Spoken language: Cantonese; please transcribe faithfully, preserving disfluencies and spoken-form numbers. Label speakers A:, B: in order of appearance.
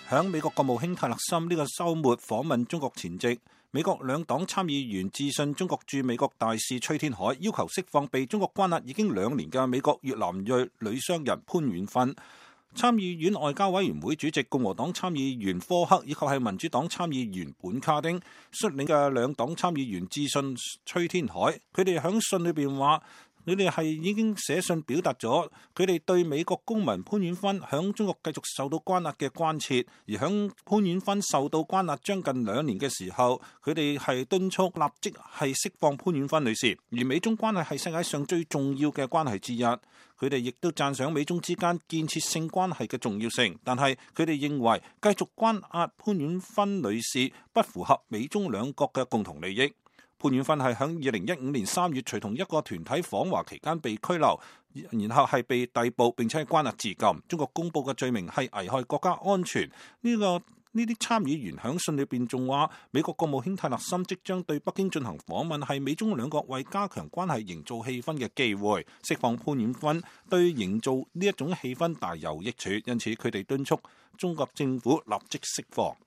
A: 響美國國務卿泰勒森呢個週末訪問中國前夕，美國兩黨參議員致信中國駐美國大使崔天凱，要求釋放被中國關押已經兩年嘅美國越南裔女商人潘婉芬。參議院外交委員會主席共和黨參議員科克以及係民主黨參議員本卡丁率領嘅兩黨參議員致信崔天凱，佢哋響信裏邊話，佢哋係已經寫信表達咗佢哋對美國公民潘婉芬響中國繼續受到關押嘅關切，而響潘婉芬受到關押將近兩年嘅時候，佢哋係敦促立即係釋放潘婉芬女士。而美中關係係世界上最重要嘅關係之一，佢哋亦都讚賞美中之間建設性關係嘅重要性，但係佢哋認為繼續關押潘婉芬女士不符合美中兩國嘅共同利益。潘婉芬係喺二零一五年三月隨同一個團體訪華期間被拘留，然後係被逮捕並且係關押至今。中國公布嘅罪名係危害國家安全。呢、這個呢啲參議員喺信裏邊仲話，美國國務卿泰勒森即將對北京進行訪問，係美中兩國為加強關係營造氣氛嘅機會。釋放潘婉芬對營造呢一種氣氛大有益處，因此佢哋敦促中國政府立即釋放。